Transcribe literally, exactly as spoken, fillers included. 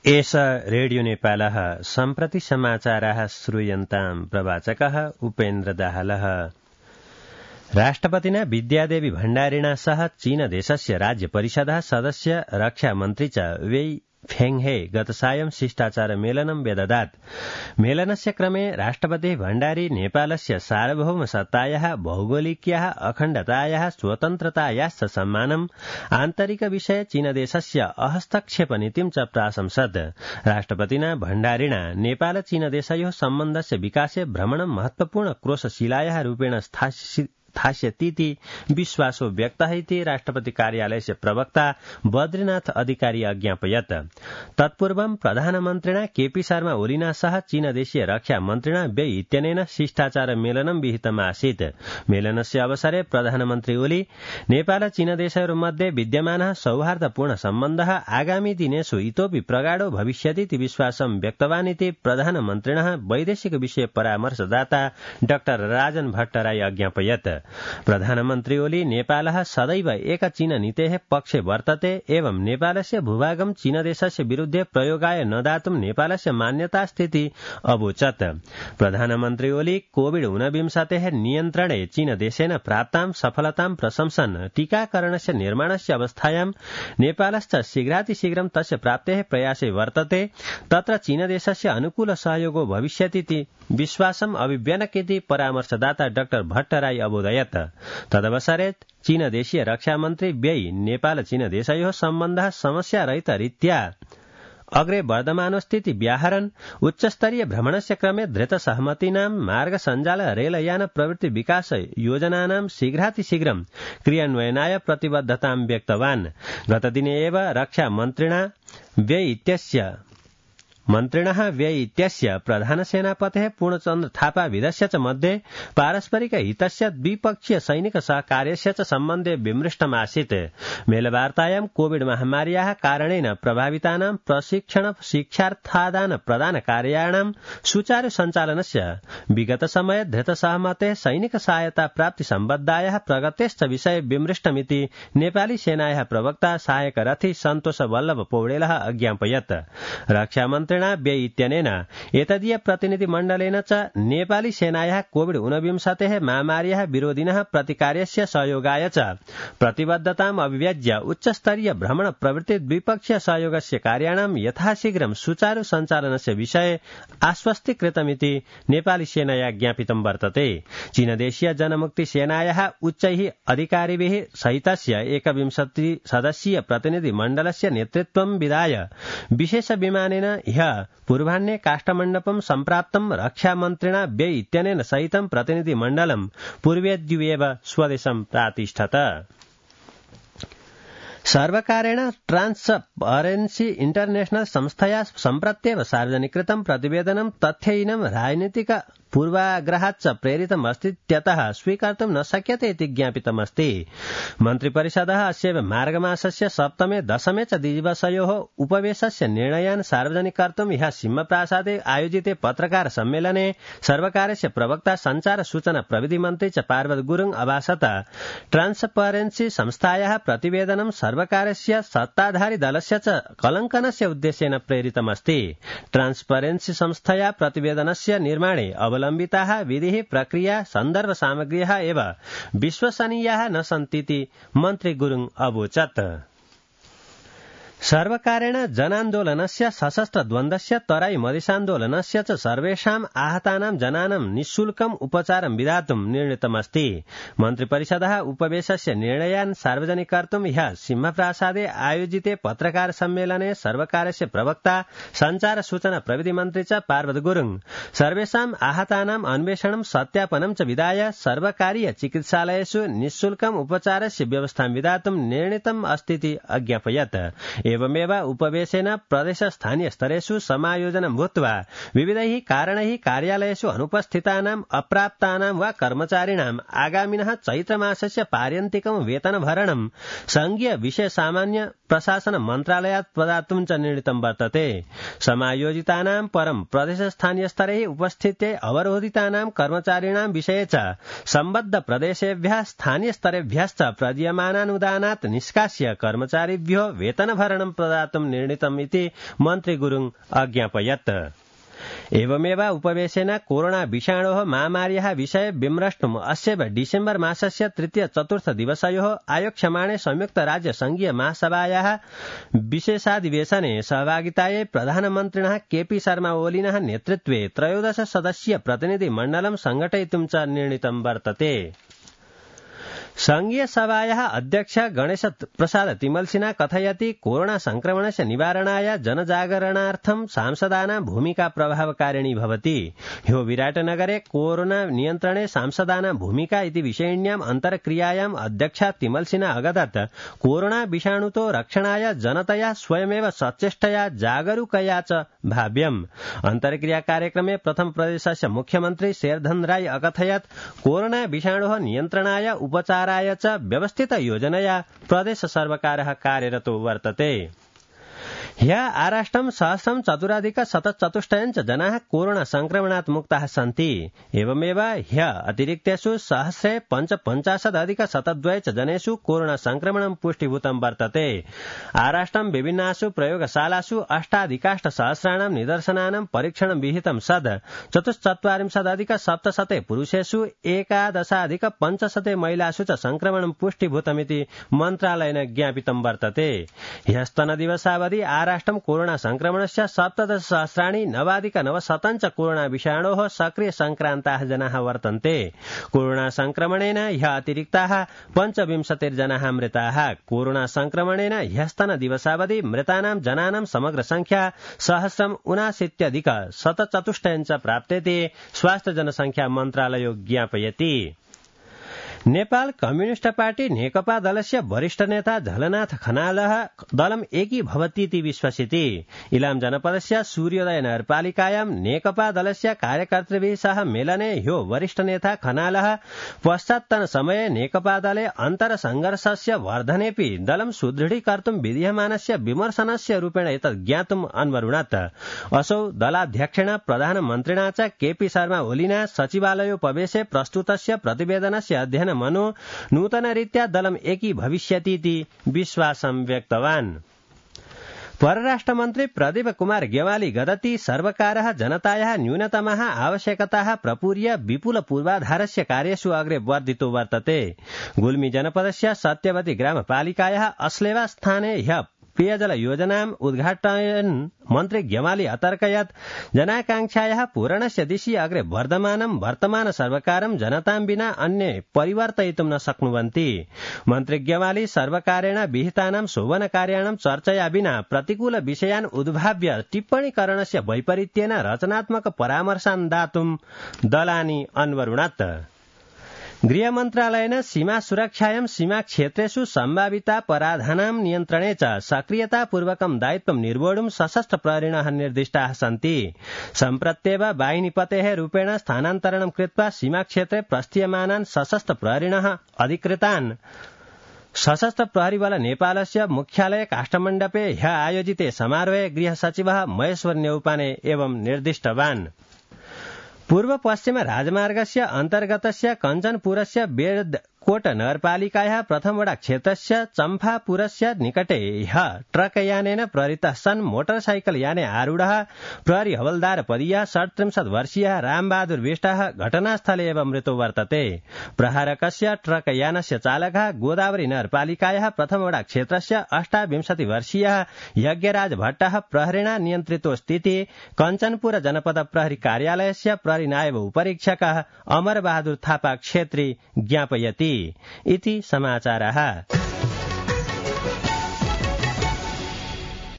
एष रेडियो नेपालः सम्प्रति समाचाराः श्रूयन्ताम् प्रवाचकः उपेन्द्र दाहालः। राष्ट्रपतिना विद्यादेवी भण्डारिणा सह चीन देशस्य राज्य परिषदः सदस्य रक्षा मन्त्री च वेई फेङहे गत सायं शिष्टाचार मेलनं व्यददात्। मेलनस्य क्रमे राष्ट्रपतिः भण्डारी नेपालस्य सार्वभौमसत्तायाः भौगोलिक्याः अखण्डतायाः स्वतन्त्रतायाश्च सम्मानम् आन्तरिकविषये चीनदेशस्य अहस्तक्षेपनीतिं च प्राशंसत्। राष्ट्रपतिना भण्डारिणा नेपाल चीनदेशयोः सम्बन्धस्य विकासे भ्रमणं महत्वपूर्ण क्रोशशिलायाः रूपेण स्थास्यतीति विश्वासो व्यक्तः इति राष्ट्रपति कार्यालयस्य प्रवक्ता बद्रीनाथ अधिकारी अज्ञापयत्। तत्पूर्वं प्रधानमन्त्रिणा केपी शर्मा ओलीना सह चीनदेशीय रक्षा मन्त्रिणा वेई इत्यनेन शिष्टाचार मेलनं विहितमासीत्। मेलनस्य अवसरे प्रधानमन्त्री ओली नेपाल चीनदेशयोर्मध्ये विद्यमानः सौहार्दपूर्ण सम्बन्धः आगामी दिनेषु इतोपि प्रगाढो भविष्यतीति विश्वासं व्यक्तवान् इति प्रधानमन्त्रिणः वैदेशिक विषय परामर्शदाता डाक्टर राजन भट्टराई अज्ञापयत्। प्रधानमन्त्री ओली नेपालः सदैव एक चीन नीतेः पक्षे वर्तते एवं नेपालस्य भूभागं चीनदेशस्य विरुद्धे प्रयोगाय न दातुं नेपालस्य मान्यता स्थिति अवोचत्। प्रधानमन्त्री ओली कोविड ऊनविंशतेः नियन्त्रणे चीनदेशेन प्राप्तां सफलतां प्रशंसन् टीकाकरणस्य निर्माणस्य अवस्थायां नेपालश्च शीघ्रातिशीघ्रं तस्य प्राप्तेः प्रयासे वर्तते, तत्र चीनदेशस्य अनुकूल सहयोगो भविष्यतीति विश्वासम् अभिव्यनकेति परामर्शदाता डाक्टर भट्टराई अवोदयत्। तदवसरे चीनदेशीय रक्षामन्त्री वेई नेपाल चीनदेशयोः सम्बन्धः समस्यारहितरीत्या अग्रे वर्धमानोस्थिति व्याहरन् उच्चस्तरीय भ्रमणस्य क्रमे धृतसहमतीनां मार्ग सञ्जाल रेलयान प्रवृत्ति विकास योजनानां शीघ्रातिशीघ्रं क्रियान्वयनाय प्रतिबद्धतां व्यक्तवान्। गतदिने एव रक्षा मन्त्रिणा वेई इत्यस्य मन्त्रिणः व्यय इत्यस्य प्रधानसेनापतेः पूर्णचन्द्र थापा विदस्य च मध्ये पारस्परिक हितस्य द्विपक्षीय सैनिक सहकार्यस्य च सम्बन्धे विमृष्टमासीत्। मेलवार्तायां कोविड महामार्याः कारणेन प्रभावितानां प्रशिक्षण शिक्षार्थादान प्रदान कार्याणां सुचारु सञ्चालनस्य विगत समये धृतसहमतेः सैनिक सहायता प्राप्ति सम्बद्धायाः प्रगतेश्च विषये विमृष्टमिति नेपाली सेनायाः प्रवक्ता सहायक रथी सन्तोष वल्लभ पौडेलः अज्ञापयत्। रक्षामन्त्री वेई इत्यनेन एतदीय प्रतिनिधिमण्डलेन च नेपाली सेनायाः कोविड ऊनविंशतेः महामार्याः विरोधिनः प्रतिकार्यस्य सहयोगाय च प्रतिबद्धताम् अभिव्यज्य उच्चस्तरीय भ्रमण प्रवृत्ति द्विपक्षीय सहयोगस्य कार्याणां यथाशीघ्रं सुचारु सञ्चालनस्य विषये आश्वस्ति कृतमिति नेपाली सेनया ज्ञापितं वर्तते। चीनदेशीय जनमुक्ति सेनायाः उच्चैः अधिकारिभिः सहितस्य एकविंशति सदस्यीय प्रतिनिधिमण्डलस्य नेतृत्वं विधाय विशेष विमानेन ह्यः पूर्वाह्ने काष्ठमण्डपं सम्प्राप्तं रक्षामन्त्रिणा वेई इत्यनेन सहितं प्रतिनिधिमण्डलं पूर्वेद्युवेव स्वदेशं प्रातिष्ठत। सर्वकारेण ट्रान्सपरेन्सी इंटरनेशनल संस्थया सम्प्रत्येव सार्वजनिकृतं प्रतिवेदनं तथ्यहीनं राजनीतिक पूर्वाग्रहाच्च प्रेरितमस्तीत्यतः स्वीकर्तुं न शक्यते इति ज्ञापितमस्ति। मन्त्रिपरिषदः अस्य मार्गमासस्य सप्तमे दशमे च दिवसयोः उपवेशस्य निर्णयान् सार्वजनिकर्तुं ह्यः सिंहप्रासादे आयोजिते पत्रकार सम्मेलने सर्वकारस्य प्रवक्ता सञ्चार सूचना प्रविधि मन्त्री च पार्वत गुरुङ अभाषत। ट्रान्सपरेन्सी संस्थायाः प्रतिवेदनं सर्वकारस्य सत्ताधारी दलस्य च कलङ्कनस्य उद्देश्येन प्रेरितमस्ति। ट्रान्सपरेन्सी संस्थया प्रतिवेदनस्य निर्माणे अवलम्बिताः विधिः प्रक्रिया सन्दर्भ सामग्र्यः एव विश्वसनीयाः न सन्तीति मन्त्री गुरुङ अवोचत्। सर्वकारेण जनान्दोलनस्य सशस्त्र द्वन्द्वस्य तराई मधेसान्दोलनस्य च सर्वेषाम् आहतानां जनानां निःशुल्कम् उपचारं विधातुं निर्णीतमस्ति। मन्त्रिपरिषदः उपवेशस्य निर्णयान् सार्वजनिकर्तुं ह्यः सिंहप्रासादे आयोजिते पत्रकार सम्मेलने सर्वकारस्य प्रवक्ता सञ्चार सूचना प्रविधि मन्त्री च पार्वत गुरुङ सर्वेषाम् आहतानाम् अन्वेषणं सत्यापनं च विधाय सर्वकारीय चिकित्सालयेषु निःशुल्कम् उपचारस्य व्यवस्थां विधातुं निर्णीतम् अस्तीति अज्ञापयत्। एवमेव उपवेशेन प्रदेश स्थानीय स्तरेषु समायोजनं भूत्वा विविधैः कारणैः कार्यालयेषु अनुपस्थितानाम् अप्राप्तानां वा कर्मचारिणाम् आगामिनः चैत्रमासस्य पार्यन्तिकं वेतनभरणं संघीय विषय सामान्य प्रशासन मन्त्रालयात् प्रदातुं च निर्णीतं वर्तते। समायोजितानां परं प्रदेश स्थानीय स्तरे उपस्थिते अवरोधितानां कर्मचारिणां विषये च सम्बद्ध प्रदेशेभ्यः स्थानीय स्तरेभ्यश्च प्रदीयमानानुदानात् निष्कास्य कर्मचारिभ्यो वेतनभरणं स्थानं प्रदातुं निर्णीतम् इति मन्त्री गुरुङ अज्ञापयत्। एवमेव उपवेशेन कोरोना विषाणोः महामार्याः विषये विमृष्टुम् अस्यैव डिसेम्बर मासस्य तृतीय चतुर्थ दिवसयोः आयोक्ष्यमाणे संयुक्त राज्य संघीय महासभायाः विशेषाधिवेशने सहभागितायै प्रधानमन्त्रिणः केपी शर्मा ओलीनः नेतृत्वे त्रयोदश सदस्यीय प्रतिनिधि मण्डलं संघटयितुं च निर्णीतं वर्तते। संघीय सभायाः अध्यक्ष गणेश प्रसाद तिमल्सिना कथयति कोरोना संक्रमणस्य निवारणाय जनजागरणार्थं सांसदानां भूमिका प्रभावकारिणी भवति। ह्यो विराटनगरे कोरोना नियन्त्रणे सांसदानां भूमिका इति विषयिण्याम् अन्तर्क्रियायाम् अध्यक्षा तिमल्सिना अगदत् कोरोना विषाणुतो रक्षणाय जनतया स्वयमेव सचेष्टया जागरूकया च भाव्यम्। अन्तर्क्रिया कार्यक्रमे प्रथम प्रदेशस्य मुख्यमन्त्री शेरधन राय अकथयत् कोरोना विषाणोः नियन्त्रणाय उपचार राय च व्यवस्थित योजनया प्रदेश सर्वकारः कार्यरतो वर्तते। ह्य आराष्ट्रं सहस्रं चतुराधिक शतचतुष्टयञ्च जनाः कोरोना संक्रमणात् मुक्ताः सन्ति। एवमेव ह्य अतिरिक्तेषु सहस्रे पञ्चपञ्चाशदधिक शतद्वय च जनेषु कोरोना संक्रमणं पुष्टिभूतं वर्तते। आराष्ट्रं विभिन्नासु प्रयोगशालासु अष्टाधिकाष्ट सहस्राणां निदर्शनानां परीक्षणं विहितं सद् चतुश्चत्वारिंशदधिक सप्तशते पुरुषेषु एकादशाधिक पञ्चशते महिलासु च संक्रमणं पुष्टिभूतमिति मन्त्रालयेन ज्ञापितं वर्तते। ह्यस्तनदिवसावधि आराष्ट्रं कोरोना संक्रमणस्य सप्तदश सहस्राणि नवाधिक नवशतञ्च कोरोना विषाणोः सक्रिय संक्रान्ताः जनाः वर्तन्ते। कोरोना संक्रमणेन ह्य अतिरिक्ताः पञ्चविंशतिर्जनाः मृताः। कोरोना संक्रमणेन ह्यस्तन दिवसावधि मृतानां जनानां समग्र संख्या सहस्रम् उनाशीत्यधिक शतचतुष्टयञ्च प्राप्तेति स्वास्थ्य जनसंख्या मन्त्रालयो ज्ञापयति। नेपाल कम्युनिस्ट पार्टी नेकपा दलस्य वरिष्ठ नेता झलनाथ खनालः दलम् एकीभवतीति विश्वसिति। इलाम जनपदस्य सूर्योदय नगरपालिकायां नेकपा दलस्य कार्यकर्तृभिः सह मेलने ह्यो वरिष्ठ नेता खनालः पश्चात्तन समये नेकपा दले अन्तरसंघर्षस्य वर्धनेऽपि दलं सुदृढीकर्तुं विधीयमानस्य विमर्शनस्य रूपेण एतत् ज्ञातुम् अन्वरुणत्। असौ दलाध्यक्षेण प्रधानमन्त्रिणा च केपी शर्मा ओलीना सचिवालयोपवेशे प्रस्तुतस्य प्रतिवेदनस्य अध्ययन मनो नूतनरीत्या दलम् एकीभविष्यतीति विश्वासं व्यक्तवान्। परराष्ट्रमन्त्री प्रदीप कुमार ग्यवाली गदति सर्वकारः जनतायाः न्यूनतमाः आवश्यकताः प्रपूर्य विपुल पूर्वाधारस्य कार्येषु अग्रे वर्धितो वर्तते। गुल्मी जनपदस्य सत्यवती ग्रामपालिकायाः अस्लेवा स्थाने ह्य पेयजल योजनाम् उद्घाटयन् मन्त्री ग्यवाली अतर्कयत् जनाकांक्षायाः पूरणस्य दिशि अग्रे वर्धमानं वर्तमान सर्वकारं जनतां विना अन्ये परिवर्तयितुं न शक्नुवन्ति। मन्त्री ग्यवाली सर्वकारेण विहितानां शोभनकार्याणां चर्चया विना प्रतिकूल विषयान् उद्भाव्य टिप्पणीकरणस्य वैपरीत्येन रचनात्मक परामर्शान् दातुं दलानि अन्वरुणत्। गृहमन्त्रालयेन सीमा सुरक्षायां सीमा क्षेत्रेषु सम्भावितापराधानां नियन्त्रणे च सक्रियतापूर्वकं दायित्वं निर्वोढुं सशस्त्र प्रहरिणः निर्दिष्टाः सन्ति। सम्प्रत्येव वाहिनीपतेः रूपेण स्थानान्तरणं कृत्वा सीमाक्षेत्रे प्रस्थीयमानान् सशस्त्र प्रहरिणः अधिकृतान् सशस्त्र प्रहरीबल नेपालस्य मुख्यालय काष्ठमण्डपे ह्य आयोजिते समारोहे गृहसचिवः महेश्वर न्यौपाने एवं निर्दिष्टवान्। पूर्व पश्चिम राजमार्गस्य अन्तर्गतस्य कञ्चनपुरस्य बेडकोट नगरपालिकायाः प्रथमवडा क्षेत्रस्य चम्फापुरस्य निकटे ह्य ट्रकयानेन प्रहृतः सन् मोटरसाइकल याने आरूढः प्रहरी हवलदार पदीयः षट्त्रिंशत् वर्षीयः रामबहादुर विष्टः घटनास्थले एव मृतो वर्तते। प्रहारकस्य ट्रकयानस्य चालकः गोदावरी नगरपालिकायाः प्रथमवडा क्षेत्रस्य अष्टाविंशति वर्षीयः यज्ञराज भट्टः प्रहरिणा नियन्त्रितो स्थिति कञ्चनपुर जनपद प्रहरी कार्यालयस्य प्रहरी नायब उपरीक्षकः अमर बहादुर थापा क्षेत्री ज्ञापयति इति समाचारः।